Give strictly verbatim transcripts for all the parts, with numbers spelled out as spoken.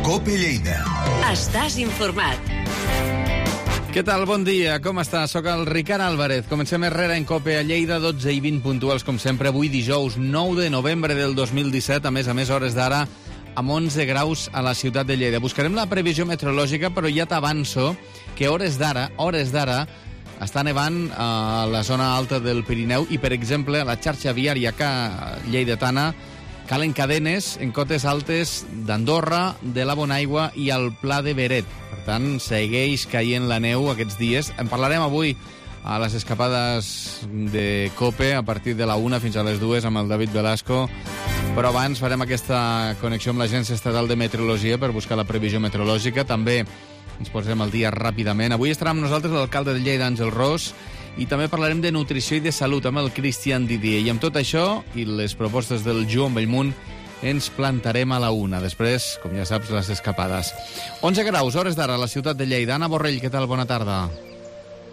COPE Lleida. Estàs informat. Què tal? Bon dia, com estàs? Soc el Ricard Álvarez. Comencem Herrera en COPE a Lleida, dotze i vint puntuals, com sempre, avui dijous nou de novembre del dos mil disset, a més a més, hores d'ara, amb onze graus a la ciutat de Lleida. Buscarem la previsió meteorològica, però ja t'avanço que hores d'ara, hores d'ara, està nevant a la zona alta del Pirineu i, per exemple, a la xarxa viària que lleidatana calen cadenes en cotes altes d'Andorra, de la Bonaigua i al Pla de Beret. Per tant, segueix caient la neu aquests dies. En parlarem avui a les escapades de COPE a partir de la una fins a les dues amb el David Velasco. Però abans farem aquesta connexió amb l'Agència Estatal de Meteorologia per buscar la previsió meteorològica. També ens posem al dia ràpidament. Avui estarà amb nosaltres l'alcalde de Lleida, Àngel Ros, i també parlarem de nutrició i de salut amb el Cristian Didier. I amb tot això i les propostes del Joan Bellmunt ens plantarem a la una. Després, com ja saps, les escapades. onze graus, hores d'ara, a la ciutat de Lleida. Anna Borrell, què tal? Bona tarda.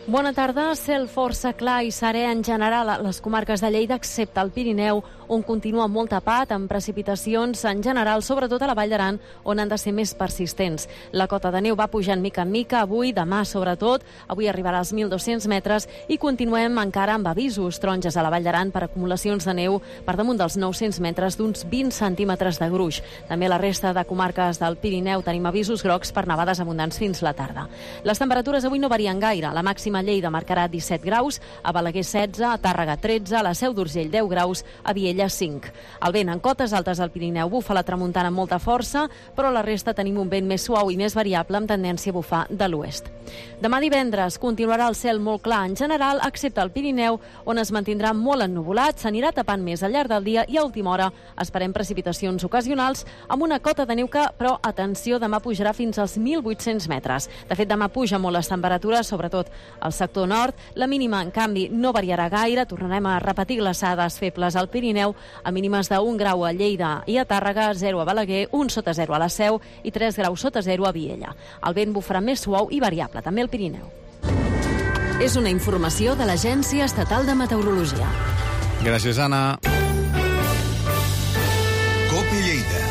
Bona tarda. Cel força clar i serè en general a les comarques de Lleida, excepte el Pirineu, on continua molt tapat, amb precipitacions en general, sobretot a la Vall d'Aran, on han de ser més persistents. La cota de neu va pujant mica en mica, avui, demà sobretot, avui arribarà als mil dos-cents metres i continuem encara amb avisos taronges a la Vall d'Aran per acumulacions de neu per damunt dels nou-cents metres d'uns vint centímetres de gruix. També a la resta de comarques del Pirineu tenim avisos grocs per nevades abundants fins la tarda. Les temperatures avui no varien gaire. La màxima a Lleida marcarà disset graus, a Balaguer setze, a Tàrrega tretze, a la Seu d'Urgell deu graus, a Viella cinc. El vent en cotes altes del Pirineu bufa la tramuntana amb molta força, però a la resta tenim un vent més suau i més variable amb tendència a bufar de l'oest. Demà divendres continuarà el cel molt clar en general, excepte el Pirineu, on es mantindrà molt ennuvolat, s'anirà tapant més al llarg del dia i a última hora esperem precipitacions ocasionals amb una cota de neu que, però, atenció, demà pujarà fins als mil vuit-cents metres. De fet, demà puja molt les temperatures, sobretot al sector nord. La mínima, en canvi, no variarà gaire. Tornarem a repetir glaçades febles al Pirineu, a mínimes d'un grau a Lleida i a Tàrrega, zero a Balaguer, un sota zero a la Seu i tres graus sota zero a Viella. El vent bufarà més suau i variable, també al Pirineu. És una informació de l'Agència Estatal de Meteorologia. Gràcies, Anna. COPE Lleida.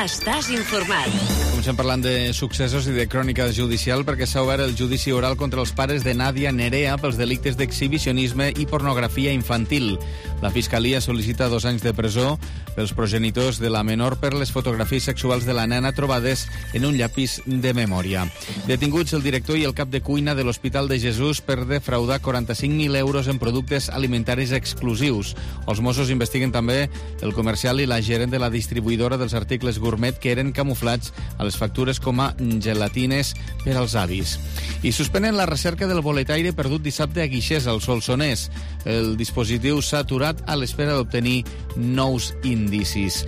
Estàs informat. Comencem parlant de successos i de crònica judicial perquè s'ha obert el judici oral contra els pares de Nàdia Nerea pels delictes d'exhibicionisme i pornografia infantil. La Fiscalia sol·licita dos anys de presó pels progenitors de la menor per les fotografies sexuals de la nena trobades en un llapis de memòria. Detinguts el director i el cap de cuina de l'Hospital de Jesús per defraudar quaranta-cinc mil euros en productes alimentaris exclusius. Els Mossos investiguen també el comercial i la gerent de la distribuïdora dels articles gourmet que eren camuflats a les factures com a gelatines per als avis. I suspenen la recerca del boletaire perdut dissabte a Guixers, al Solsonès. El dispositiu s'ha aturat a l'espera d'obtenir nous indicis.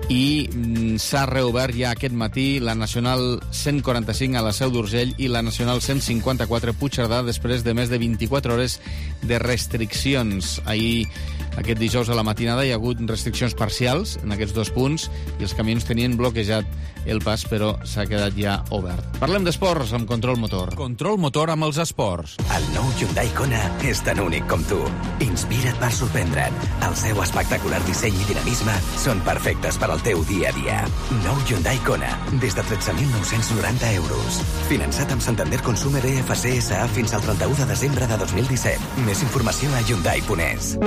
I mm, s'ha reobert ja aquest matí la Nacional cent quaranta-cinc a la Seu d'Urgell i la Nacional cent cinquanta-quatre a Puigcerdà després de més de vint-i-quatre hores de restriccions. Ahir, aquest dijous a la matinada, hi ha hagut restriccions parcials en aquests dos punts i els camions tenien bloquejat el pas, però s'ha quedat ja obert. Parlem d'esports amb Control Motor. Control Motor amb els esports. El nou Hyundai Kona és tan únic com tu. Inspira't per sorprendre't. El seu espectacular disseny i dinamisme són perfectes per al teu dia a dia. Nou Hyundai Kona, des de tretze mil nou-cents noranta euros. Finançat amb Santander Consumer B F C S A fins al trenta-u de desembre de dos mil disset. Més informació a hyundai punt es.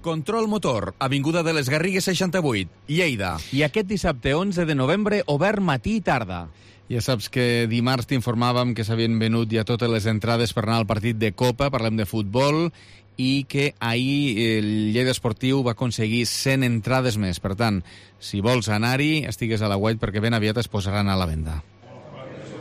Control Motor, Avinguda de les Garrigues seixanta-vuit, Lleida. I aquest dissabte onze de novembre, obert matí i tarda. Ja saps que dimarts t'informàvem que s'havien venut ja totes les entrades per anar al partit de Copa, parlem de futbol, i que ahir el Lleida Esportiu va aconseguir cent entrades més. Per tant, si vols anar-hi, estigues a la web perquè ben aviat es posaran a la venda.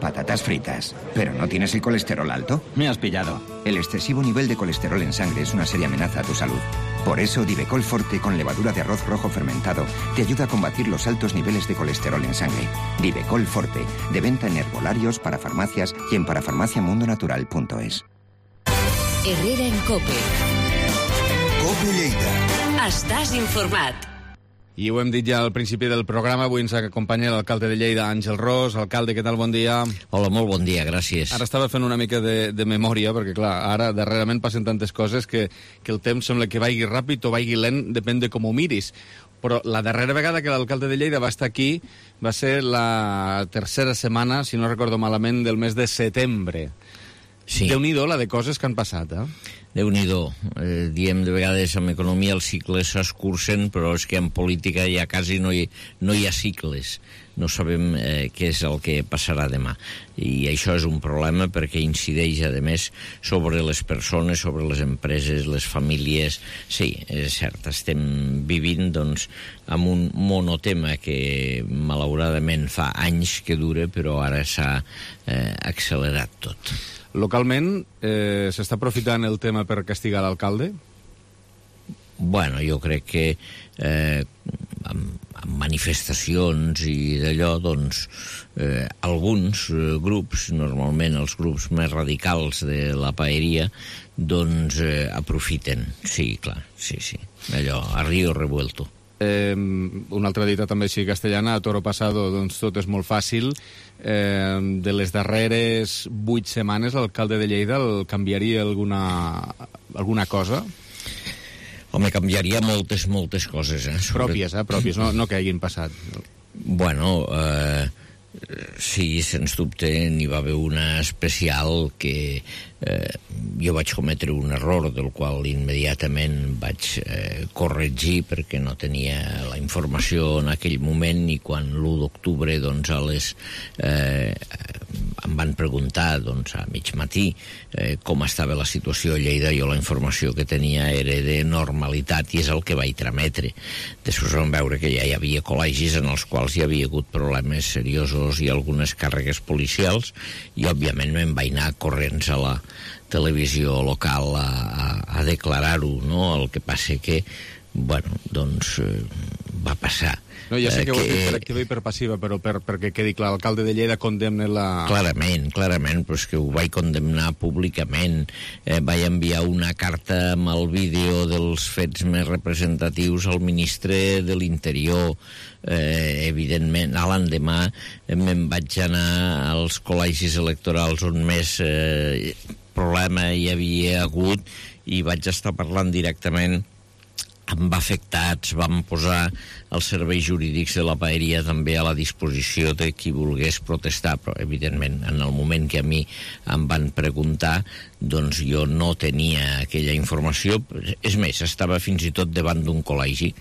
Patatas fritas. ¿Pero no tienes el colesterol alto? Me has pillado. El excesivo nivel de colesterol en sangre es una seria amenaza a tu salud. Por eso, Divecol Forte con levadura de arroz rojo fermentado te ayuda a combatir los altos niveles de colesterol en sangre. Divecol Forte, de venta en herbolarios, para farmacias y en parafarmaciamundonatural punto es. Herrera en COPE. COPE Lleida. Estàs informat. I ho hem dit ja al principi del programa, avui ens acompanya l'alcalde de Lleida, Àngel Ros. Alcalde, què tal? Bon dia. Hola, molt bon dia, gràcies. Ara estava fent una mica de, de memòria, perquè clar, ara darrerament passen tantes coses que, que el temps sembla que vagi ràpid o vagi lent, depèn de com ho miris. Però la darrera vegada que l'alcalde de Lleida va estar aquí va ser la tercera setmana, si no recordo malament, del mes de setembre. Sí. Déu-n'hi-do la de coses que han passat, eh? Déu-n'hi-do. Eh, diem de vegades en economia els cicles s'escurcen, però és que en política ja quasi no hi, no hi ha cicles. No sabem eh, què és el que passarà demà. I això és un problema perquè incideix, a més, sobre les persones, sobre les empreses, les famílies. Sí, és cert, estem vivint doncs, amb un monotema que malauradament fa anys que dura, però ara s'ha eh, accelerat tot. Localment, eh, s'està aprofitant el tema per castigar l'alcalde? Bueno, jo crec que eh, amb, amb manifestacions i d'allò, doncs, eh, alguns eh, grups, normalment els grups més radicals de la paeria, doncs eh, aprofiten. Sí, clar, sí, sí. Allò, a río revuelto. Eh, una altra dita també així castellana, a toro pasado, doncs tot és molt fàcil. Eh, de les darreres vuit setmanes, l'alcalde de Lleida el canviaria alguna, alguna cosa? Home, canviaria moltes, moltes coses, eh? Sobre... Pròpies, eh? Pròpies, no, no que hagin passat. Bueno, eh, sí, sens dubte n'hi va haver una especial que eh, jo vaig cometre un error del qual immediatament vaig eh, corregir perquè no tenia la informació en aquell moment, i quan l'u d'octubre doncs a les eh, em van preguntar doncs a mig matí eh, com estava la situació a Lleida, jo la informació que tenia era de normalitat i és el que vaig trametre. Després vam veure que ja hi havia col·legis en els quals hi havia hagut problemes seriosos i algunes càrregues policials, i òbviament me'n vaig anar corrents a la televisió local a, a, a declarar-ho, no? El que passa que, bueno, doncs eh, va passar. No, ja sé que, eh, que ho has dit per activa i per passiva, però per, perquè quedi clar, l'alcalde de Lleida condemna la... Clarament, clarament, però és que ho vaig condemnar públicament. Eh, vaig enviar una carta amb el vídeo dels fets més representatius al ministre de l'Interior. Eh, evidentment, a l'endemà eh, me'n vaig anar als col·legis electorals on més eh, problema hi havia hagut i vaig estar parlant directament amb afectats, vam posar els serveis jurídics de la paeria també a la disposició de qui volgués protestar, però evidentment en el moment que a mi em van preguntar doncs jo no tenia aquella informació. És més, estava fins i tot davant d'un col·legi,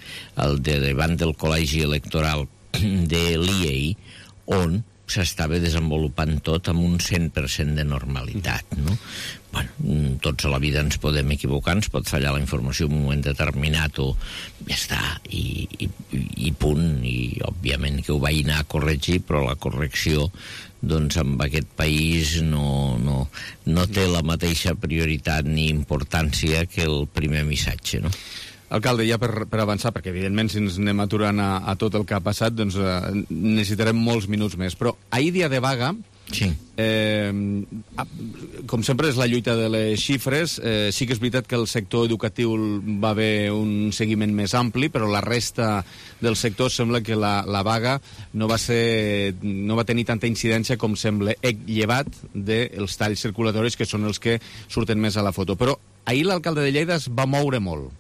el de davant del col·legi electoral de l'I E I, on s'estava desenvolupant tot amb un cent per cent de normalitat, no? Bueno, tots a la vida ens podem equivocar, ens pot fallar la informació en un moment determinat o ja està, i, i, i punt, i òbviament que ho vaig anar a corregir, però la correcció doncs amb aquest país no, no, no té la mateixa prioritat ni importància que el primer missatge, no? Alcalde, ja per, per avançar, perquè evidentment si ens anem aturant a, a tot el que ha passat, doncs eh, necessitarem molts minuts més. Però ahir dia de vaga, sí. eh, com sempre és la lluita de les xifres, eh, sí que és veritat que el sector educatiu va haver un seguiment més ampli, però la resta del sector sembla que la, la vaga no va, ser, no va tenir tanta incidència com sembla, llevat dels talls circulatoris, que són els que surten més a la foto. Però ahir l'alcalde de Lleida es va moure molt.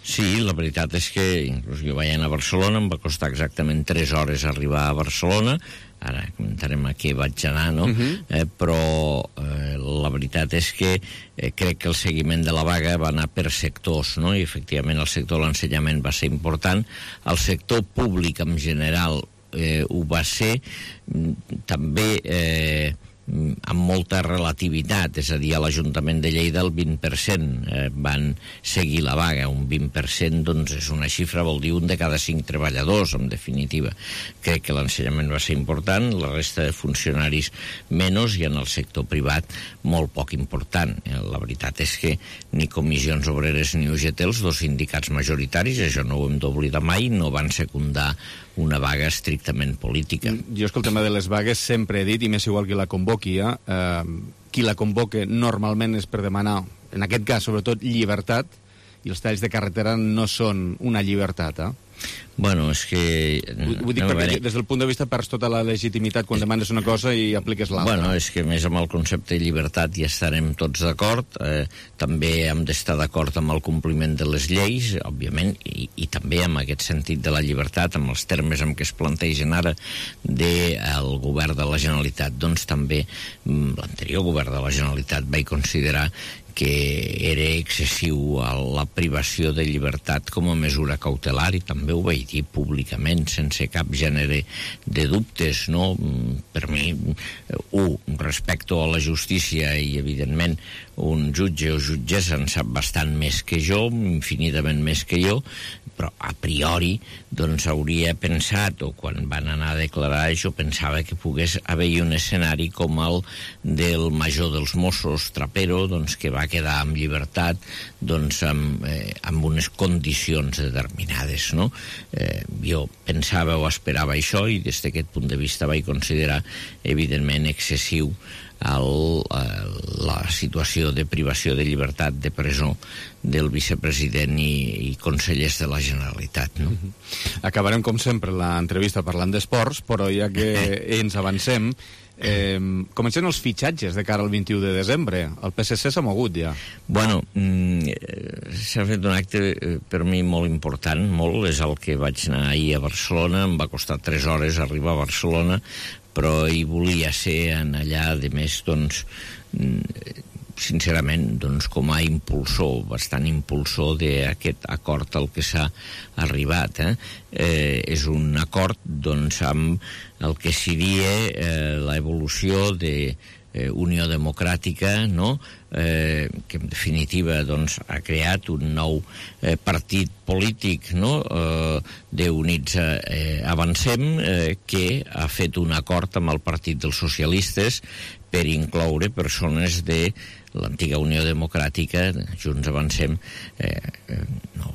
Sí, la veritat és que inclús jo vaig anar a Barcelona, em va costar exactament tres hores arribar a Barcelona, ara comentarem a què vaig anar, no? Uh-huh. eh, però eh, la veritat és que eh, crec que el seguiment de la vaga va anar per sectors, no? I efectivament el sector de l'ensenyament va ser important, el sector públic en general eh, ho va ser, també... Eh, amb molta relativitat, és a dir, a l'Ajuntament de Lleida el vint per cent eh, van seguir la vaga. Un vint per cent doncs és una xifra, vol dir un de cada cinc treballadors, en definitiva. Crec que l'ensenyament va ser important, la resta de funcionaris menys, i en el sector privat molt poc important. La veritat és que ni Comissions Obreres ni U G T, els dos sindicats majoritaris, això no ho hem d'oblidar mai, no van secundar una vaga estrictament política. Jo és que el tema de les vagues sempre he dit, i m'és igual qui la convoqui, eh? eh qui la convoca normalment és per demanar, en aquest cas, sobretot, llibertat, i els talls de carretera no són una llibertat, eh? Bueno, és que... Vull dir, perquè des del punt de vista perds tota la legitimitat quan demanes una cosa i apliques l'altra. Bueno, és que més amb el concepte de llibertat ja estarem tots d'acord. Eh, també hem d'estar d'acord amb el compliment de les lleis, òbviament, i, i també amb aquest sentit de la llibertat, amb els termes en què es plantegen ara del govern de la Generalitat. Doncs també l'anterior govern de la Generalitat va considerar que era excessiu a la privació de llibertat com a mesura cautelar, i també ho vaig dir públicament, sense cap gènere de dubtes, no? Per mi, un, respecto a la justícia, i evidentment un jutge o jutgessa en sap bastant més que jo, infinitament més que jo, però a priori doncs hauria pensat, o quan van anar a declarar això, pensava que pogués haver-hi un escenari com el del major dels Mossos, Trapero, doncs que va quedar amb llibertat doncs amb, eh, amb unes condicions determinades, no? Eh, jo pensava o esperava això, i des d'aquest punt de vista vaig considerar evidentment excessiu el, la situació de privació de llibertat, de presó del vicepresident i, i consellers de la Generalitat, no? Acabarem, com sempre, l'entrevista parlant d'esports, però ja que ens avancem, eh, comencen els fitxatges de cara al vint-i-u de desembre. El P S C s'ha mogut ja. Bueno, mm, s'ha fet un acte per mi molt important, molt, és el que vaig anar ahir a Barcelona, em va costar tres hores arribar a Barcelona, però hi volia ser en allà, de més, doncs, sincerament, doncs, com a impulsor, bastant impulsor d'aquest acord al que s'ha arribat. Eh? Eh, és un acord, doncs, amb el que seria eh, l'evolució de eh, Unió Democràtica, no?, eh, que en definitiva doncs, ha creat un nou eh, partit polític, no?, eh, d'Units eh, Avancem, eh, que ha fet un acord amb el Partit dels Socialistes per incloure persones de l'antiga Unió Democràtica, Junts Avancem, eh, eh, no,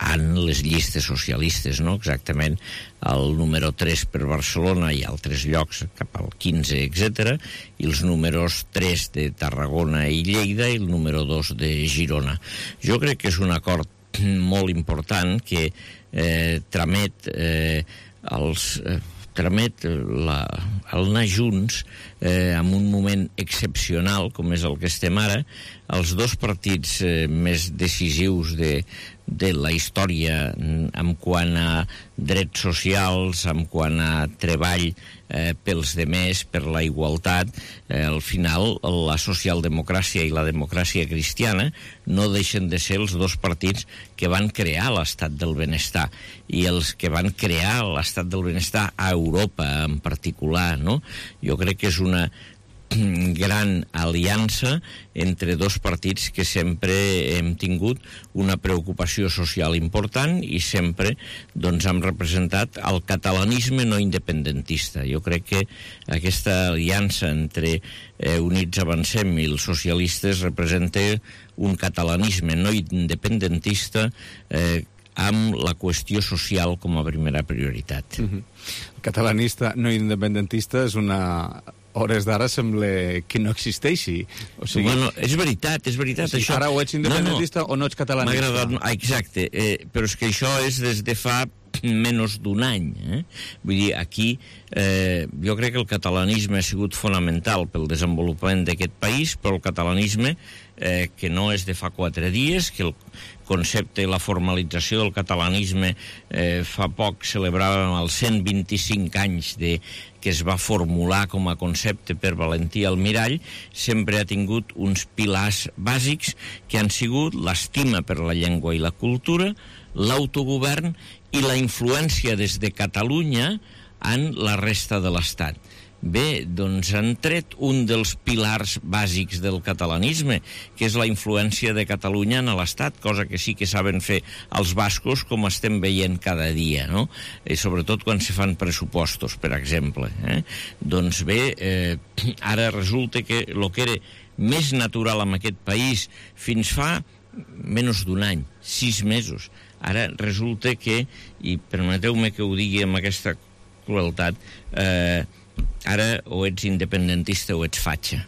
en les llistes socialistes, no? Exactament el número tres per Barcelona i altres llocs cap al quinze, etcètera, i els números tres de Tarragona i Lleida i el número dos de Girona. Jo crec que és un acord molt important que eh, tramet eh, els... Eh, tramet la, el anar junts eh, en un moment excepcional com és el que estem ara. Els dos partits eh, més decisius de, de la història en quant a drets socials, en quant a treball eh, pels demés, per la igualtat, eh, al final la socialdemocràcia i la democràcia cristiana no deixen de ser els dos partits que van crear l'estat del benestar, i els que van crear l'estat del benestar a Europa en particular, no? Jo crec que és una gran aliança entre dos partits que sempre hem tingut una preocupació social important i sempre doncs, hem representat el catalanisme no independentista. Jo crec que aquesta aliança entre eh, Units Avancem i els socialistes representa un catalanisme no independentista eh, amb la qüestió social com a primera prioritat. Mm-hmm. El catalanista no independentista és una... hores d'ara sembla que no existeixi. O sigui... Bueno, és veritat, és veritat. O sigui, això... Ara o ets independentista no, no. o no ets catalanista. M'ha agradat... Exacte, eh, però és que això és des de fa menys d'un any. Eh? Vull dir, aquí eh, jo crec que el catalanisme ha sigut fonamental pel desenvolupament d'aquest país, però el catalanisme eh, que no és de fa quatre dies, que el concepte i la formalització del catalanisme eh, fa poc celebràvem els cent vint-i-cinc anys de, que es va formular com a concepte per Valentí Almirall, sempre ha tingut uns pilars bàsics que han sigut l'estima per la llengua i la cultura, l'autogovern i la influència des de Catalunya en la resta de l'Estat. Bé, doncs han tret un dels pilars bàsics del catalanisme, que és la influència de Catalunya en l'Estat, cosa que sí que saben fer els bascos, com estem veient cada dia, no? I sobretot quan se fan pressupostos, per exemple. Eh? Doncs bé, eh, ara resulta que el que era més natural en aquest país fins fa menys d'un any, sis mesos, ara resulta que, i permeteu-me que ho digui amb aquesta crueltat, eh, ara o ets independentista o ets fatxa.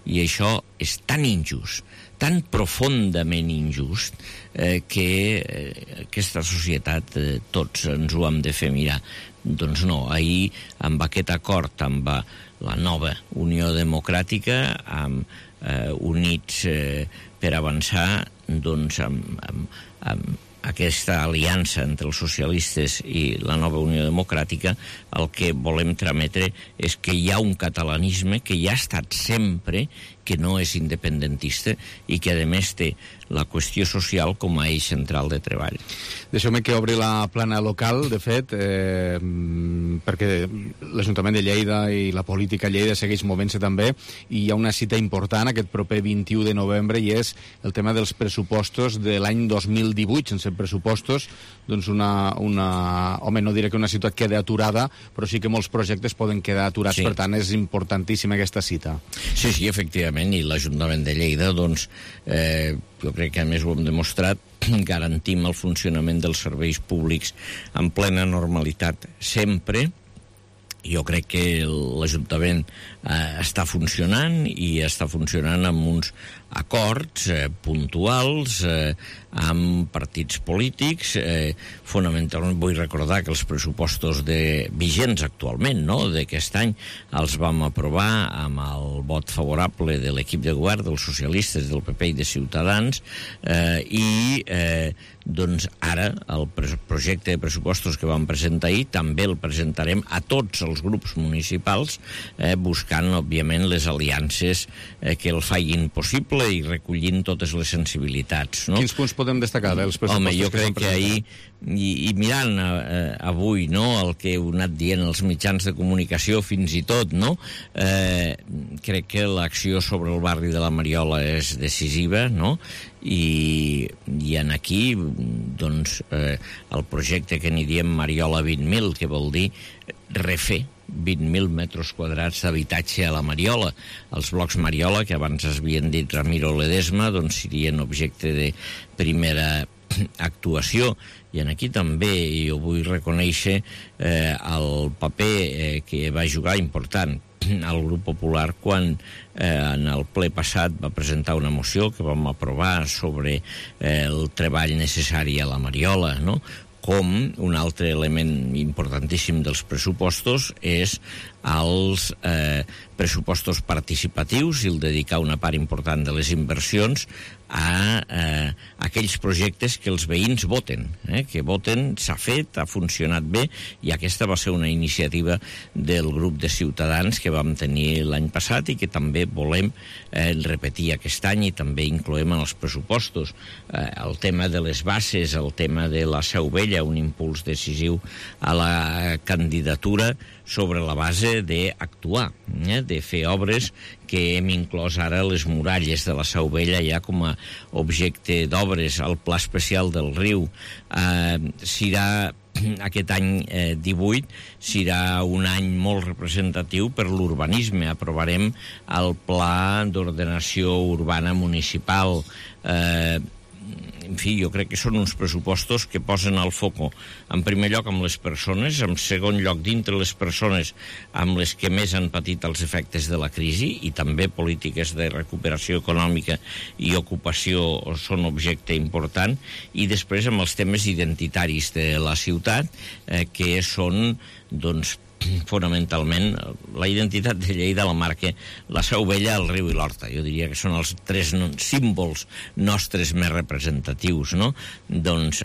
I això és tan injust, tan profundament injust eh, que eh, aquesta societat eh, tots ens ho hem de fer mirar. Doncs no, ahir amb aquest acord amb la nova Unió Democràtica, amb eh, Units eh, per Avançar, doncs amb, amb, amb aquesta aliança entre els socialistes i la nova Unió Democràtica, el que volem trametre és que hi ha un catalanisme que hi ha estat sempre, que no és independentista i que, a més, té la qüestió social com a eix central de treball. Deixeu-me que obri la plana local, de fet, eh, perquè l'Ajuntament de Lleida i la política a Lleida segueix movent-se també, i hi ha una cita important aquest proper vint-i-u de novembre, i és el tema dels pressupostos de l'any dos mil divuit. Sense pressupostos, doncs una, una... Home, no diré que una ciutat queda aturada, però sí que molts projectes poden quedar aturats, sí. Per tant, és importantíssima aquesta cita. Sí, sí, efectivament, i l'Ajuntament de Lleida, doncs, eh, jo crec que a més ho hem demostrat, garantim el funcionament dels serveis públics en plena normalitat sempre. Jo crec que l'Ajuntament eh, està funcionant i està funcionant amb uns acords eh, puntuals eh, amb partits polítics. Eh, fonamentalment vull recordar que els pressupostos de, vigents actualment, no?, d'aquest any, els vam aprovar amb el vot favorable de l'equip de govern, dels socialistes, del P P i de Ciutadans, eh, i eh, doncs ara el projecte de pressupostos que vam presentar ahir també el presentarem a tots els grups municipals, eh, buscant, òbviament, les aliances eh, que el facin possible i recollint totes les sensibilitats, no? Quins punts podem destacar dels pressupostos? Home, jo crec que, que ahir, i, i mirant eh, avui, no?, el que heu anat dient els mitjans de comunicació fins i tot, no?, eh, crec que l'acció sobre el barri de la Mariola és decisiva, no?, i, i en aquí, doncs, eh, el projecte que n'hi diem Mariola vint mil, que vol dir refer vint mil metres quadrats d'habitatge a la Mariola. Els blocs Mariola, que abans es havien dit Ramiro Ledesma, doncs serien objecte de primera actuació. I en aquí també jo vull reconèixer eh, el paper eh, que va jugar important al Grup Popular quan eh, en el ple passat va presentar una moció que vam aprovar sobre eh, el treball necessari a la Mariola, no?, com un altre element importantíssim dels pressupostos és els eh, pressupostos participatius i el dedicar una part important de les inversions a eh, aquells projectes que els veïns voten, eh, que voten, s'ha fet, ha funcionat bé, i aquesta va ser una iniciativa del grup de Ciutadans que vam tenir l'any passat i que també volem eh, repetir aquest any i també incloem en els pressupostos. Eh, el tema de les bases, el tema de la Seu Vella, un impuls decisiu a la candidatura sobre la base d'actuar, eh, de fer obres que hem inclòs ara les muralles de la Seu Vella ja com a objecte d'obres. El Pla Especial del Riu eh, serà aquest any eh, divuit serà un any molt representatiu per l'urbanisme. Aprovarem el Pla d'Ordenació Urbana Municipal. Eh, en fi, jo crec que són uns pressupostos que posen al foco, en primer lloc, amb les persones, en segon lloc, dintre les persones amb les que més han patit els efectes de la crisi, i també polítiques de recuperació econòmica i ocupació són objecte important, i després amb els temes identitaris de la ciutat, eh, que són, doncs, fonamentalment la identitat de Lleida la marca la Seu Vella, el riu i l'Horta. Jo diria que són els tres símbols nostres més representatius, no? Doncs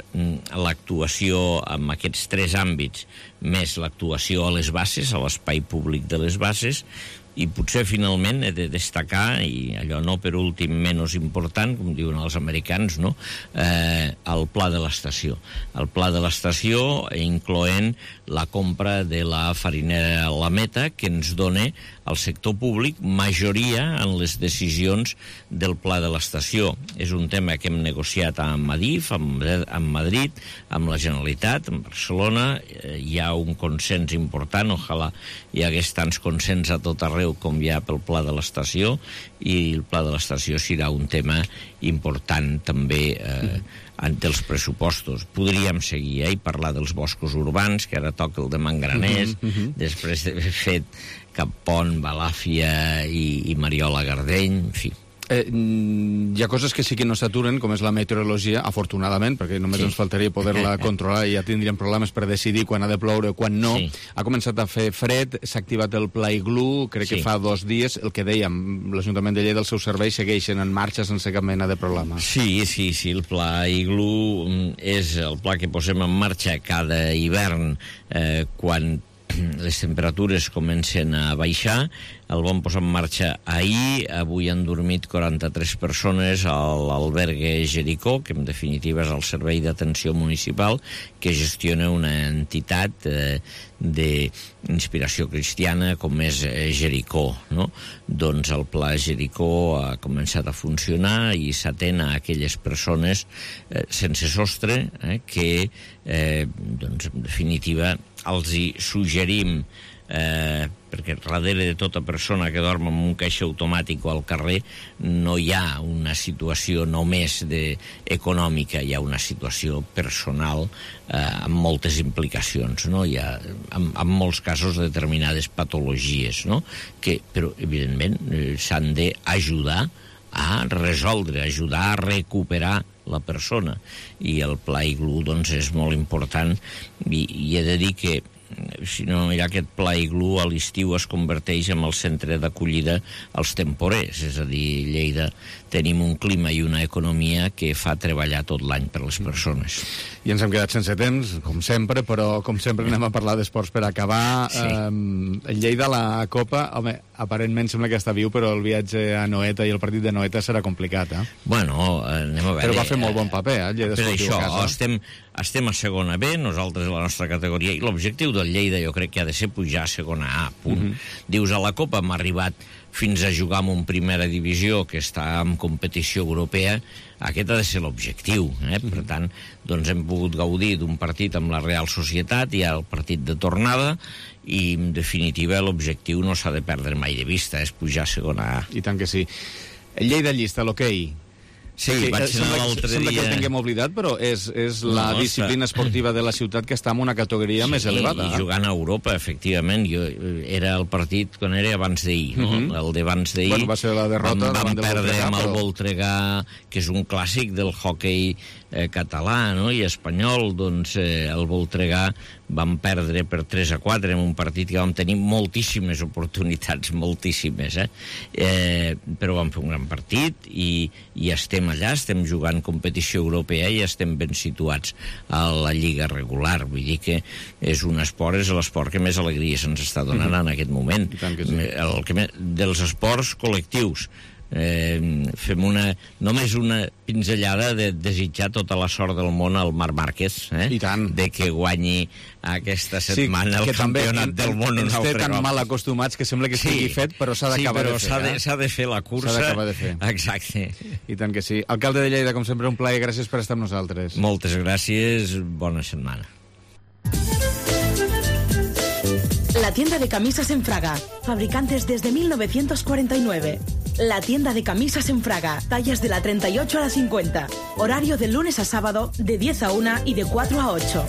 l'actuació en aquests tres àmbits, més l'actuació a les bases, a l'espai públic de les bases, i potser finalment he de destacar, i allò no per últim menys important, com diuen els americans, no?, eh, el pla de l'estació. El pla de l'estació incloent la compra de la farinera La Meta, que ens dona al sector públic majoria en les decisions del pla de l'estació. És un tema que hem negociat amb Adif, amb, amb Madrid, amb la Generalitat, amb Barcelona. Eh, hi ha un consens important, ojalà hi hagués tants consens a tot arreu com hi ha pel pla de l'estació, i el pla de l'estació serà un tema important també eh, dels pressupostos. Podríem seguir eh, i parlar dels boscos urbans, que ara toca el de Mangraners, uh -huh, uh -huh. després d'haver fet Cap Pont, Balàfia i, i Mariola Gardeny, en fi. Eh, hi ha coses que sí que no s'aturen, com és la meteorologia, afortunadament, perquè només sí. ens faltaria poder-la controlar i ja tindríem problemes per decidir quan ha de ploure o quan no. Sí. Ha començat a fer fred, s'ha activat el Pla Iglú, crec sí. que fa dos dies, el que dèiem, l'Ajuntament de Lleida, els seus serveis segueixen en marxa sense cap mena de problema. Sí, sí, sí, el Pla Iglú és el pla que posem en marxa cada hivern eh, quan les temperatures comencen a baixar. El vam posar en marxa ahir. Avui han dormit quaranta-tres persones a l'albergue Jericó, que en definitiva és el servei d'atenció municipal que gestiona una entitat eh, d'inspiració cristiana com és Jericó, no? Doncs el Pla Jericó ha començat a funcionar i s'atén a aquelles persones eh, sense sostre eh, que, eh, doncs, en definitiva, els hi suggerim, eh, perquè darrere de tota persona que dorm en un caixer automàtic o al carrer no hi ha una situació només de econòmica, hi ha una situació personal eh, amb moltes implicacions, no? Hi ha, en, en molts casos, determinades patologies, no? Que, però, evidentment, eh, s'han d'ajudar a resoldre, ajudar a recuperar la persona. I el Pla Iglú, doncs, és molt important i, i he de dir que si no hi ha aquest Pla Iglú, a l'estiu es converteix en el centre d'acollida als temporers, és a dir, Lleida tenim un clima i una economia que fa treballar tot l'any per les persones. I ens hem quedat sense temps, com sempre, però com sempre anem a parlar d'esports per acabar. Sí. Eh, Lleida, la Copa, home, aparentment sembla que està viu, però el viatge a Noeta i el partit de Noeta serà complicat, eh? Bueno, anem a veure... Però va fer molt bon paper, eh? Lleida per això, a casa. Estem, estem a segona B, nosaltres a la nostra categoria, i l'objectiu del Lleida jo crec que ha de ser pujar a segona A, punt. Mm-hmm. Dius, a la Copa hem arribat fins a jugar amb un primera divisió que està en competició europea, aquest ha de ser l'objectiu, eh? Mm-hmm. Per tant, doncs hem pogut gaudir d'un partit amb la Real Societat, i el partit de tornada, i en definitiva l'objectiu no s'ha de perdre mai de vista, és pujar a segona A. I tant que sí. El Lleida llista, l'hoquei. Sí, sí, vaig anar l'altre dia... Sembla que el tinguem oblidat, però és, és no, la disciplina està... esportiva de la ciutat que està en una categoria sí, més elevada. I jugant a Europa, efectivament. Jo, era el partit quan era abans d'ahir, no? Mm-hmm. El d'abans d'ahir... Bueno, va ser la derrota vam, vam perdre amb el però... Voltregà, que és un clàssic del hoquei eh, català, no? I espanyol, doncs eh, el Voltregà vam perdre per tres a quatre en un partit que vam tenir moltíssimes oportunitats, moltíssimes, eh? eh però vam fer un gran partit i, i estem allà, estem jugant competició europea i estem ben situats a la lliga regular. Vull dir que és un esport, és l'esport que més alegria se'ns està donant mm-hmm. en aquest moment. Sí. El que, dels esports col·lectius. Eh, fem una, només una pinzellada de desitjar tota la sort del món al Marc Márquez, eh? I tant. De que guanyi aquesta setmana sí, el campionat del món. Ens té tan mal acostumats que sembla que estigui sí, fet, però s'ha d'acabar sí, de fer. S'ha de, s'ha de fer la cursa. S'ha d'acabar de fer. Exacte. I tant que sí. Alcalde de Lleida, com sempre, un plaer. Gràcies per estar amb nosaltres. Moltes gràcies. Bona setmana. La tienda de camisas en Fraga, fabricantes desde mil novecientos cuarenta y nueve. La tienda de camisas en Fraga, tallas de la treinta y ocho a la cincuenta. Horario de lunes a sábado, de diez a una y de cuatro a ocho.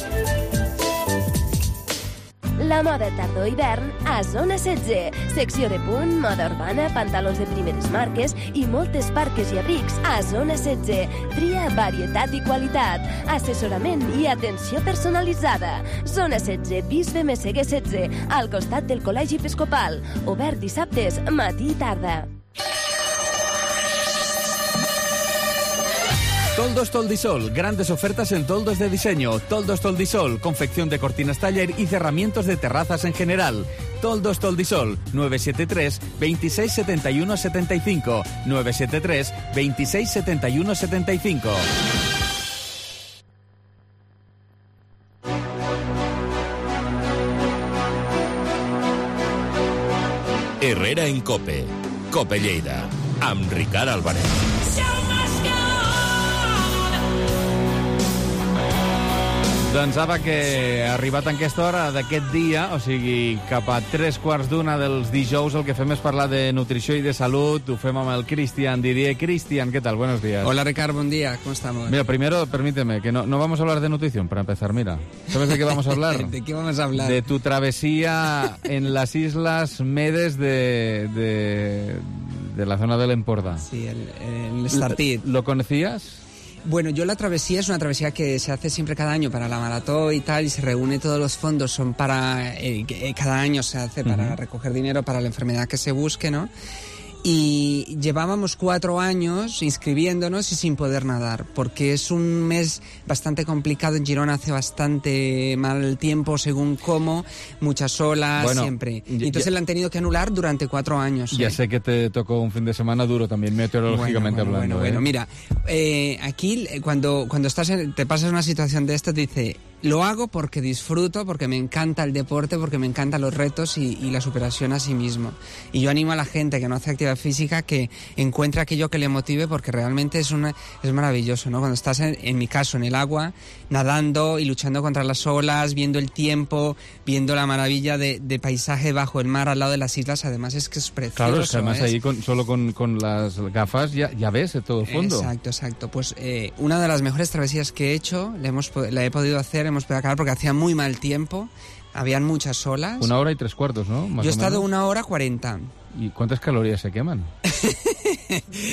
La moda tardor-hivern a Zona setze. Secció de punt, moda urbana, pantalons de primeres marques i moltes parques i abrics a Zona setze. Tria, varietat i qualitat. Assessorament i atenció personalitzada. Zona setze, Bisbe Messeguer setze, al costat del Col·legi Episcopal. Obert dissabtes, matí i tarda. Toldos Toldisol, grandes ofertas en toldos de diseño. Toldos Toldisol, confección de cortinas taller y cerramientos de terrazas en general. Toldos Toldisol, nueve siete tres, veintiséis setenta y uno setenta y cinco, nueve siete tres, veintiséis setenta y uno setenta y cinco. Herrera en Cope, Cope Lleida, amb Ricard Álvarez. Doncs apa, que arribat en aquesta hora d'aquest dia, o sigui, cap a tres quarts d'una dels dijous, el que fem és parlar de nutrició i de salut. Ho fem amb el Cristian Didier. Cristian, ¿qué tal? Buenos días. Hola, Ricardo, buen día. ¿Cómo estamos? Mira, primero, permíteme, que no, no vamos a hablar de nutrición, para empezar, mira. ¿Sabes de qué vamos a hablar? ¿De qué vamos a hablar? De tu travesía en las Islas Medes de... de de la zona del Empordà. Sí, el, el Estartit. ¿Lo conocías? Bueno, yo la travesía es una travesía que se hace siempre cada año para la maratón y tal, y se reúne todos los fondos, son para, eh, cada año se hace para uh-huh. recoger dinero para la enfermedad que se busque, ¿no? Y llevábamos cuatro años inscribiéndonos y sin poder nadar, porque es un mes bastante complicado. En Girona hace bastante mal tiempo según cómo, muchas olas, bueno, siempre. Y entonces ya, la han tenido que anular durante cuatro años. Ya ¿eh? sé que te tocó un fin de semana duro también, meteorológicamente bueno, bueno, hablando. Bueno, ¿eh? bueno, mira, eh, aquí cuando, cuando estás en, te pasas una situación de esta, te dice... Lo hago porque disfruto, porque me encanta el deporte, porque me encantan los retos y, y la superación a sí mismo. Y yo animo a la gente que no hace actividad física que encuentre aquello que le motive, porque realmente es una es maravilloso, ¿no? Cuando estás, en, en mi caso, en el agua, nadando y luchando contra las olas, viendo el tiempo, viendo la maravilla de, de paisaje bajo el mar al lado de las islas, además es que es precioso. Claro, es que además ¿eh? ahí con, solo con, con las gafas ya, ya ves todo el fondo. Exacto, exacto. Pues eh, una de las mejores travesías que he hecho, la, hemos, la he podido hacer, hemos podido acabar porque hacía muy mal tiempo, habían muchas olas. Una hora y tres cuartos, ¿no? Más Yo he o estado menos. una hora cuarenta. ¿Y cuántas calorías se queman?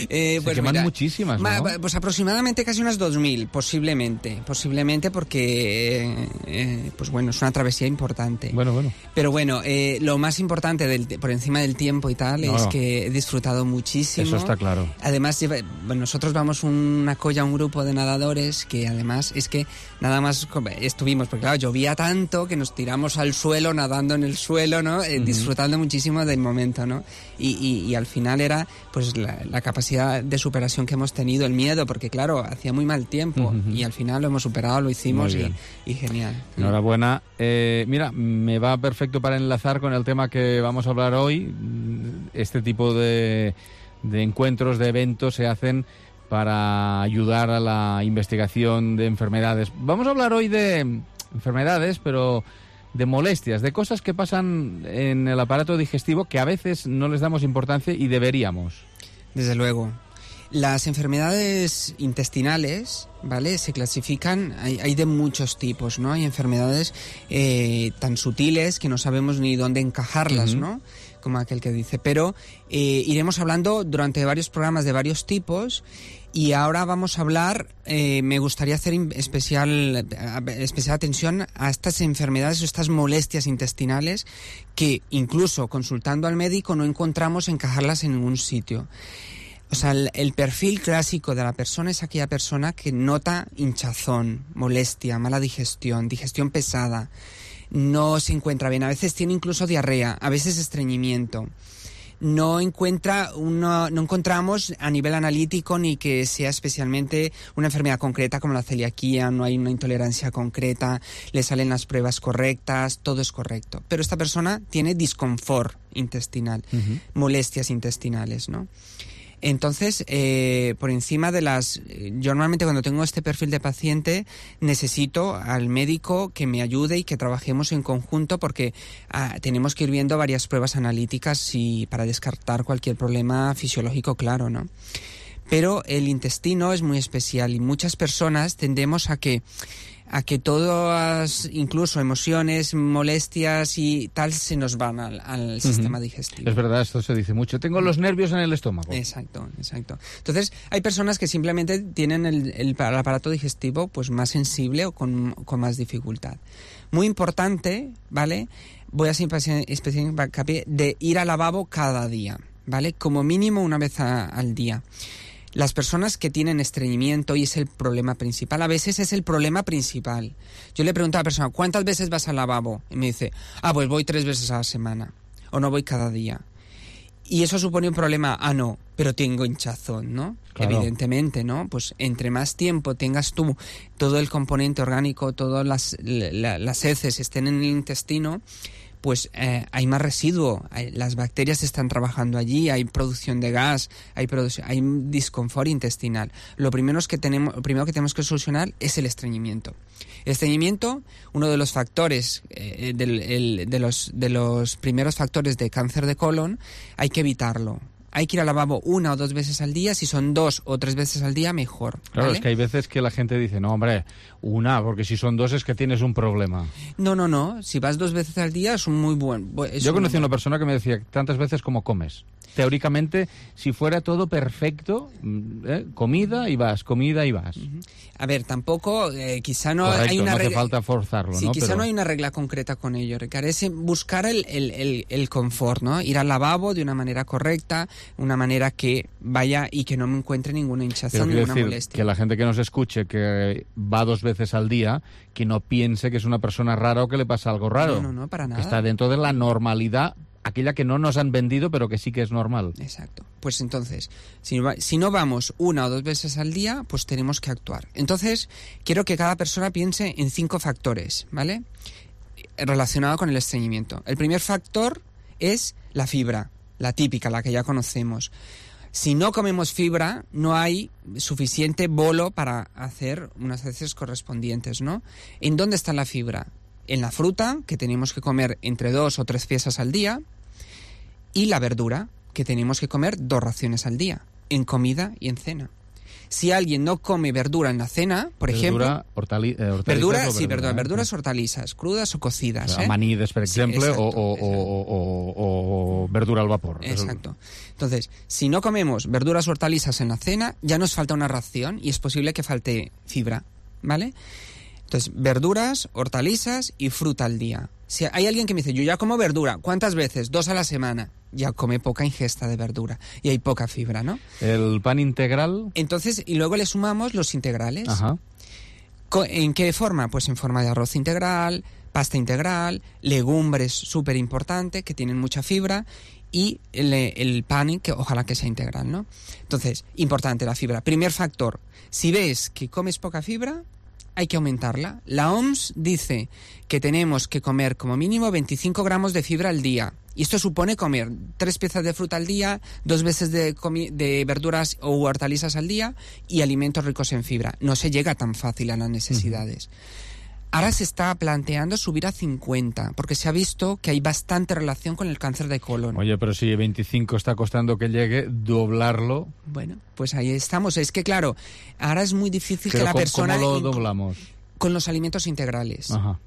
eh, se pues queman mira, muchísimas, ¿no? ma, pues aproximadamente casi unas dos mil, posiblemente. Posiblemente porque, eh, eh, pues bueno, es una travesía importante. Bueno, bueno. Pero bueno, eh, lo más importante del, por encima del tiempo y tal no, es no. que he disfrutado muchísimo. Eso está claro. Además, bueno, nosotros vamos una colla, un grupo de nadadores que además es que nada más estuvimos, porque claro, llovía tanto que nos tiramos al suelo, nadando en el suelo, ¿no? Eh, uh-huh. Disfrutando muchísimo del momento, ¿no? Y, y, y al final era pues la, la capacidad de superación que hemos tenido, el miedo, porque claro, hacía muy mal tiempo uh-huh. y al final lo hemos superado, lo hicimos y, y genial. Enhorabuena. Eh, mira, me va perfecto para enlazar con el tema que vamos a hablar hoy. Este tipo de, de encuentros, de eventos se hacen para ayudar a la investigación de enfermedades. Vamos a hablar hoy de enfermedades, pero de molestias, de cosas que pasan en el aparato digestivo que a veces no les damos importancia y deberíamos. Desde luego. Las enfermedades intestinales, ¿vale? Se clasifican, hay, hay de muchos tipos, ¿no? Hay enfermedades eh, tan sutiles que no sabemos ni dónde encajarlas, uh-huh. ¿no? Como aquel que dice. Pero eh, iremos hablando durante varios programas de varios tipos. Y ahora vamos a hablar, eh, me gustaría hacer especial, especial atención a estas enfermedades o estas molestias intestinales que incluso consultando al médico no encontramos encajarlas en ningún sitio. O sea, el, el perfil clásico de la persona es aquella persona que nota hinchazón, molestia, mala digestión, digestión pesada, no se encuentra bien, a veces tiene incluso diarrea, a veces estreñimiento. No encuentra uno, no encontramos a nivel analítico ni que sea especialmente una enfermedad concreta como la celiaquía, no hay una intolerancia concreta, le salen las pruebas correctas, todo es correcto. Pero esta persona tiene disconfort intestinal, uh-huh. molestias intestinales, ¿no? Entonces, eh, por encima de las... Yo normalmente cuando tengo este perfil de paciente necesito al médico que me ayude y que trabajemos en conjunto porque ah, tenemos que ir viendo varias pruebas analíticas y para descartar cualquier problema fisiológico, claro, ¿no? Pero el intestino es muy especial y muchas personas tendemos a que... a que todas, incluso emociones, molestias y tal, se nos van al, al uh-huh. sistema digestivo. Es verdad, esto se dice mucho. Tengo los nervios en el estómago. Exacto, exacto. Entonces, hay personas que simplemente tienen el, el, el aparato digestivo pues más sensible o con, con más dificultad. Muy importante, ¿vale? Voy a hacer especial hincapié de ir al lavabo cada día, ¿vale? Como mínimo una vez a, al día. Las personas que tienen estreñimiento, y es el problema principal, a veces es el problema principal. Yo le pregunto a la persona, ¿cuántas veces vas al lavabo? Y me dice, ah, pues voy tres veces a la semana, o no voy cada día. Y eso supone un problema, ah, no, pero tengo hinchazón, ¿no? Claro. Evidentemente, ¿no? Pues entre más tiempo tengas tú todo el componente orgánico, todas las, la, las heces estén en el intestino, pues eh, hay más residuo, hay, las bacterias están trabajando allí, hay producción de gas, hay producción, hay disconfort intestinal. Lo primero es que tenemos, lo primero que tenemos que solucionar es el estreñimiento. El estreñimiento, uno de los factores, eh, del, el, de los de los primeros factores de cáncer de colon, hay que evitarlo. Hay que ir al lavabo una o dos veces al día, si son dos o tres veces al día, mejor. Claro, ¿vale? Es que hay veces que la gente dice, no, hombre, una, porque si son dos es que tienes un problema. No, no, no, si vas dos veces al día es un muy buen... Es Yo un conocí a buen... una persona que me decía, tantas veces como comes. teóricamente, si fuera todo perfecto, ¿eh? comida y vas, comida y vas. Uh-huh. A ver, tampoco, eh, quizá no Correcto, hay una no hace regla... falta forzarlo, sí, ¿no? quizá Pero... no hay una regla concreta con ello, Ricard, es buscar el, el, el, el confort, ¿no? Ir al lavabo de una manera correcta, una manera que vaya y que no me encuentre ninguna hinchazón, Pero ninguna decir, molestia. que la gente que nos escuche, que va dos veces al día, que no piense que es una persona rara o que le pasa algo raro. No, no, no, para nada. Que está dentro de la normalidad, aquella que no nos han vendido, pero que sí que es normal. Exacto. Pues entonces, si, va, si no vamos una o dos veces al día, pues tenemos que actuar. Entonces, quiero que cada persona piense en cinco factores, ¿vale? Relacionado con el estreñimiento. El primer factor es la fibra, la típica, la que ya conocemos. Si no comemos fibra, no hay suficiente bolo para hacer unas heces correspondientes, ¿no? ¿En dónde está la fibra? En la fruta, que tenemos que comer entre dos o tres piezas al día, y la verdura, que tenemos que comer dos raciones al día, en comida y en cena. Si alguien no come verdura en la cena, por verdura, ejemplo... Hortali eh, hortalizas verdura, o sí, verdura, verdura, ¿eh? verduras, hortalizas, crudas o cocidas. O sea, ¿eh? Amanides, por ejemplo, sí, o, o, o, o, o verdura al vapor. Exacto. Entonces, si no comemos verduras o hortalizas en la cena, ya nos falta una ración y es posible que falte fibra, ¿vale? Entonces, verduras, hortalizas y fruta al día. Si hay alguien que me dice, yo ya como verdura, ¿cuántas veces? Dos a la semana. Ya come poca ingesta de verdura y hay poca fibra, ¿no? El pan integral. Entonces, y luego le sumamos los integrales. Ajá. ¿En qué forma? Pues en forma de arroz integral, pasta integral, legumbres, súper importante, que tienen mucha fibra, y el, el pan, que ojalá que sea integral, ¿no? Entonces, importante la fibra. Primer factor, si ves que comes poca fibra, hay que aumentarla. La O M S dice que tenemos que comer como mínimo veinticinco gramos de fibra al día. Y esto supone comer tres piezas de fruta al día, dos veces de, de verduras o hortalizas al día y alimentos ricos en fibra. No se llega tan fácil a las necesidades. Uh-huh. Ahora se está planteando subir a cincuenta, porque se ha visto que hay bastante relación con el cáncer de colon. Oye, pero si veinticinco está costando que llegue, doblarlo... Bueno, pues ahí estamos. Es que, claro, ahora es muy difícil pero que la ¿cómo, persona... ¿Cómo lo doblamos? Con los alimentos integrales. Ajá.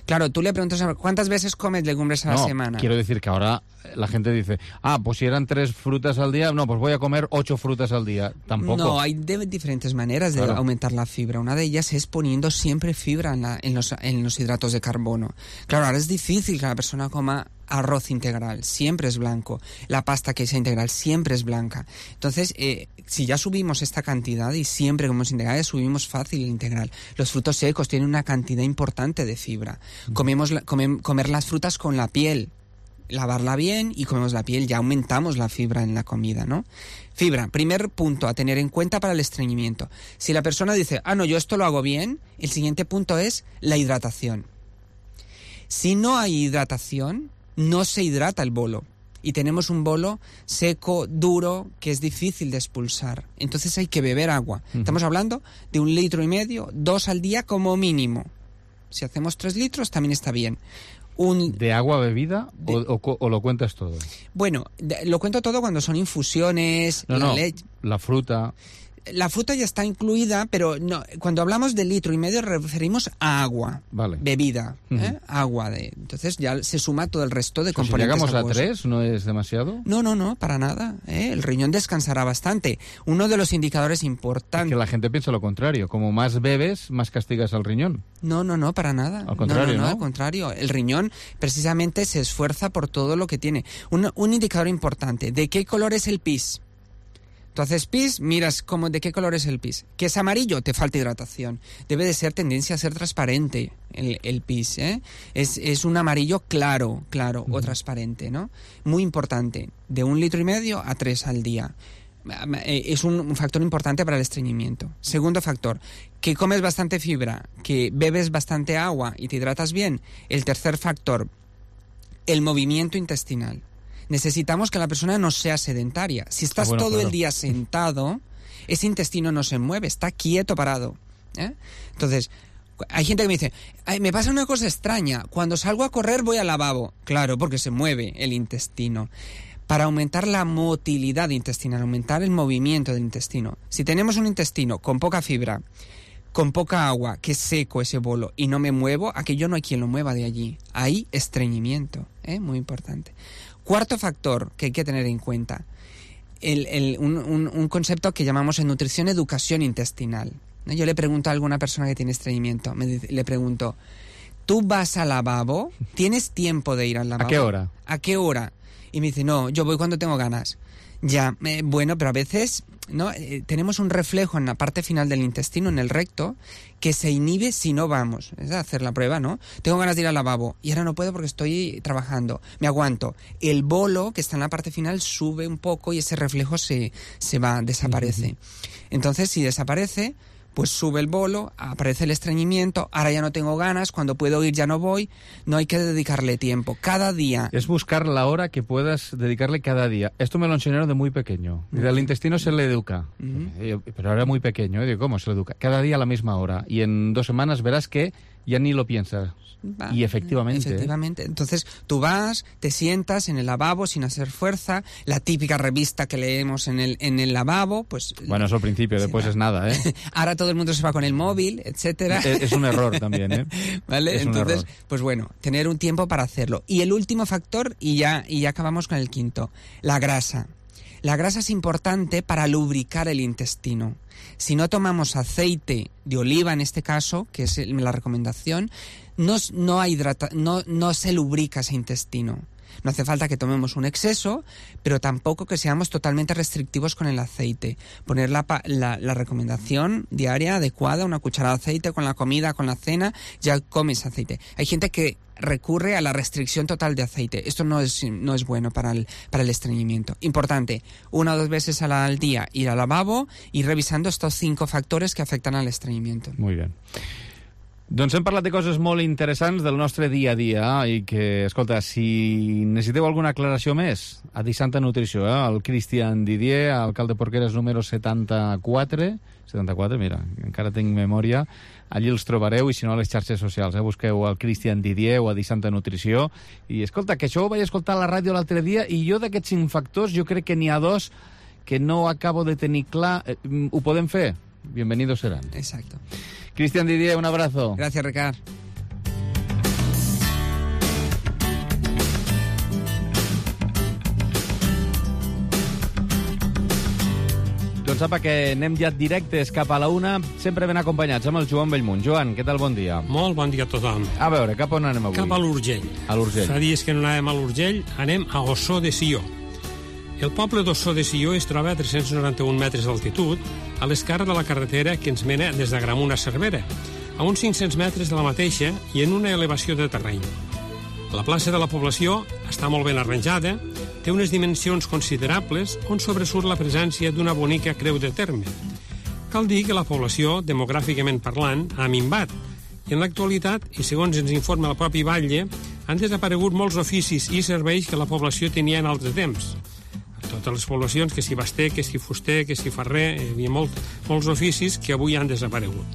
Claro, tú le preguntas, ¿cuántas veces comes legumbres a no, la semana? Quiero decir que ahora la gente dice, ah, pues si eran tres frutas al día, no, pues voy a comer ocho frutas al día. Tampoco. No, hay de diferentes maneras de claro. aumentar la fibra. Una de ellas es poniendo siempre fibra en, la, en, los, en los hidratos de carbono. Claro, ahora es difícil que la persona coma arroz integral, siempre es blanco. La pasta que sea integral siempre es blanca. Entonces, eh, si ya subimos esta cantidad y siempre comemos integrales, subimos fácil el integral. Los frutos secos tienen una cantidad importante de fibra. Comemos la, come, comer las frutas con la piel, lavarla bien y comemos la piel, ya aumentamos la fibra en la comida, ¿no? Fibra, primer punto a tener en cuenta para el estreñimiento. Si la persona dice, ah, no, yo esto lo hago bien, el siguiente punto es la hidratación. Si no hay hidratación, no se hidrata el bolo. Y tenemos un bolo seco, duro, que es difícil de expulsar. Entonces hay que beber agua. Uh-huh. Estamos hablando de un litro y medio, dos al día como mínimo. Si hacemos tres litros, también está bien. Un, ¿De agua bebida de, o, o, o lo cuentas todo? Bueno, de, lo cuento todo cuando son infusiones, no, la no, leche. La fruta... La fruta ya está incluida, pero no, cuando hablamos de litro y medio referimos a agua, vale. bebida, uh-huh. ¿eh? agua. De, entonces ya se suma todo el resto de o sea, componentes. Si llegamos aguosos. a tres, ¿no es demasiado? No, no, no, para nada. ¿eh? El riñón descansará bastante. Uno de los indicadores importantes... Es que la gente piensa lo contrario. Como más bebes, más castigas al riñón. No, no, no, para nada. Al contrario, no, no, no, ¿no? al contrario. El riñón precisamente se esfuerza por todo lo que tiene. Un, un indicador importante. ¿De qué color es el pis? Tú haces pis, miras cómo, de qué color es el pis. ¿Que es amarillo? Te falta hidratación. Debe de ser tendencia a ser transparente el, el pis, ¿eh? Es, es un amarillo claro, claro, uh-huh. o transparente, ¿no? Muy importante. De un litro y medio a tres al día. Es un, un factor importante para el estreñimiento. Segundo factor, que comes bastante fibra, que bebes bastante agua y te hidratas bien. El tercer factor, el movimiento intestinal. Necesitamos que la persona no sea sedentaria. Si estás ah, bueno, todo claro. el día sentado, ese intestino no se mueve, está quieto, parado. ¿eh? Entonces, hay gente que me dice, Ay, me pasa una cosa extraña, cuando salgo a correr voy al lavabo. Claro, porque se mueve el intestino. Para aumentar la motilidad intestinal, aumentar el movimiento del intestino. Si tenemos un intestino con poca fibra, con poca agua, que es seco ese bolo, y no me muevo, aquello no hay quien lo mueva de allí. Hay estreñimiento, ¿eh? Muy importante. Cuarto factor que hay que tener en cuenta, el, el, un, un, un concepto que llamamos en nutrición educación intestinal. ¿No? Yo le pregunto a alguna persona que tiene estreñimiento, me dice, le pregunto, ¿tú vas al lavabo? ¿Tienes tiempo de ir al lavabo? ¿A qué hora? ¿A qué hora? Y me dice, no, yo voy cuando tengo ganas. Ya, eh, bueno, pero a veces ¿no? Eh, tenemos un reflejo en la parte final del intestino, en el recto, que se inhibe si no vamos. Es hacer la prueba, ¿no? Tengo ganas de ir al lavabo y ahora no puedo porque estoy trabajando. Me aguanto. El bolo, que está en la parte final, sube un poco y ese reflejo se, se va, desaparece. Uh-huh. Entonces, si desaparece, pues sube el bolo, aparece el estreñimiento, ahora ya no tengo ganas, cuando puedo ir ya no voy, no hay que dedicarle tiempo, cada día. Es buscar la hora que puedas dedicarle cada día. Esto me lo enseñaron de muy pequeño. Uh-huh. Al intestino se le educa, uh-huh. pero ahora muy pequeño, ¿eh? Digo, ¿cómo se le educa? Cada día a la misma hora, y en dos semanas verás que ya ni lo piensas. Va, y efectivamente. Efectivamente. ¿eh? Entonces tú vas, te sientas en el lavabo sin hacer fuerza, la típica revista que leemos en el, en el lavabo, pues... Bueno, eso al principio, después va. Es nada, ¿eh? Ahora todo el mundo se va con el móvil, etcétera. Es, es un error también, ¿eh? ¿Vale? Es Entonces, pues bueno, tener un tiempo para hacerlo. Y el último factor, y ya, y ya acabamos con el quinto, la grasa. La grasa es importante para lubricar el intestino. Si no tomamos aceite de oliva, en este caso, que es la recomendación, no, no, hay hidrata, no, no se lubrica ese intestino. No hace falta que tomemos un exceso, pero tampoco que seamos totalmente restrictivos con el aceite. Poner la, la, la recomendación diaria adecuada, una cucharada de aceite con la comida, con la cena, ya comes aceite. Hay gente que recurre a la restricción total de aceite. Esto no es, no es bueno para el, para el estreñimiento. Importante, una o dos veces al día ir al lavabo y revisando estos cinco factores que afectan al estreñimiento. Muy bien. Doncs hem parlat de coses molt interessants del nostre dia a dia i que, escolta, si necessiteu alguna aclaració més, a Disanta Nutrició, eh? El Cristian Didier, alcalde Porqueres número setanta-quatre, setanta-quatre, mira, encara tinc memòria, allí els trobareu, i si no a les xarxes socials, eh? Busqueu el Cristian Didier o a Disanta Nutrició, i escolta, que això ho vaig escoltar a la ràdio l'altre dia, i jo d'aquests cinc factors, jo crec que n'hi ha dos que no acabo de tenir clar. Eh, ho podem fer? Bienvenidos serán. Exacto. Cristian Didier, un abrazo. Gracias, Ricard. Doncs apa, que anem ja directes cap a la una, sempre ben acompanyats amb el Joan Bellmunt. Joan, què tal? Bon dia. Molt bon dia a tothom. A veure, cap on anem avui? Cap a l'Urgell. A l'Urgell. Fa dies que no anàvem a l'Urgell, anem a Ossó de Sió. El poble d'Ossó de Sió es troba a tres-cents noranta-un metres d'altitud, a l'esquerra de la carretera que ens mena des d'Agramunt a Cervera, a uns cinc-cents metres de la mateixa i en una elevació de terreny. La plaça de la població està molt ben arranjada, té unes dimensions considerables on sobresurt la presència d'una bonica creu de terme. Cal dir que la població, demogràficament parlant, ha minvat, i en l'actualitat, i segons ens informa el propi batlle, han desaparegut molts oficis i serveis que la població tenia en altres temps. Totes les poblacions, que si baster, que si fuster, que si ferrer, hi havia molt, molts oficis que avui han desaparegut.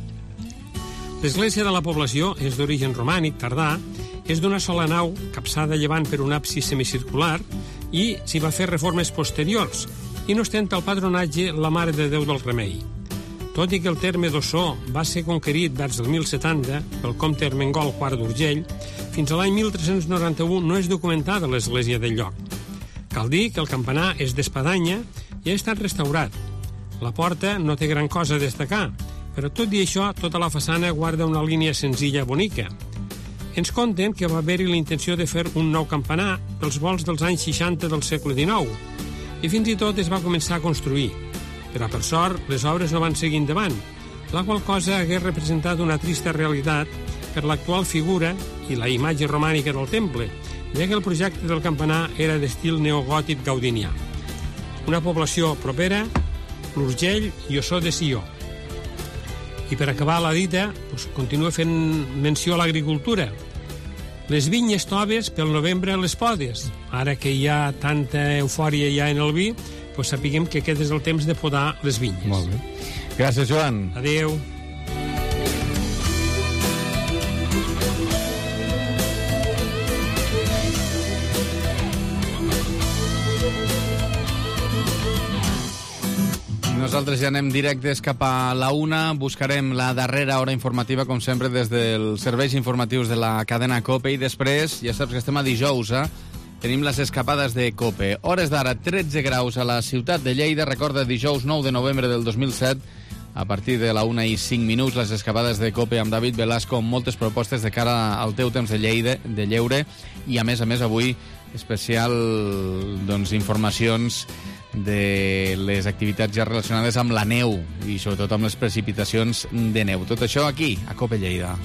L'església de la població és d'origen romànic, tardà, és d'una sola nau, capçada a llevant per un absis semicircular, i s'hi va fer reformes posteriors, i no ostenta el patronatge la Mare de Déu del Remei. Tot i que el terme d'Ossó va ser conquerit vers el mil setanta pel comte Ermengol quart d'Urgell, fins a l'any mil tres-cents noranta-u no és documentada l'església del lloc. Cal dir que el campanar és d'espadanya i ha estat restaurat. La porta no té gran cosa a destacar, però tot i això, tota la façana guarda una línia senzilla bonica. Ens conten que va haver-hi la intenció de fer un nou campanar pels volts dels anys seixanta del segle dinou, i fins i tot es va començar a construir. Però, per sort, les obres no van seguir endavant, la qual cosa hagués representat una trista realitat per l'actual figura i la imatge romànica del temple, ja que el projecte del campanar era d'estil neogòtic gaudinià. Una població propera, l'Urgell i Ossó de Sió. I per acabar la dita, doncs, continua fent menció a l'agricultura. Les vinyes toves pel novembre les podes. Ara que hi ha tanta eufòria ja en el vi, doncs sapiguem que aquest és el temps de podar les vinyes. Molt bé. Gràcies, Joan. Adéu. No nosaltres ja anem directes cap a la una. Buscarem la darrera hora informativa, com sempre, des dels serveis informatius de la cadena COPE. I després, ja saps que estem a dijous, eh? Tenim les escapades de COPE. Hores d'ara, tretze graus a la ciutat de Lleida. Recorda, dijous nou de novembre del dos mil set, a partir de la una i cinc minuts, les escapades de COPE amb David Velasco, amb moltes propostes de cara al teu temps de, Lleida, de lleure. I, a més a més, avui, especial doncs, informacions de les activitats ja relacionades amb la neu i, sobretot, amb les precipitacions de neu. Tot això aquí, a COPE Lleida.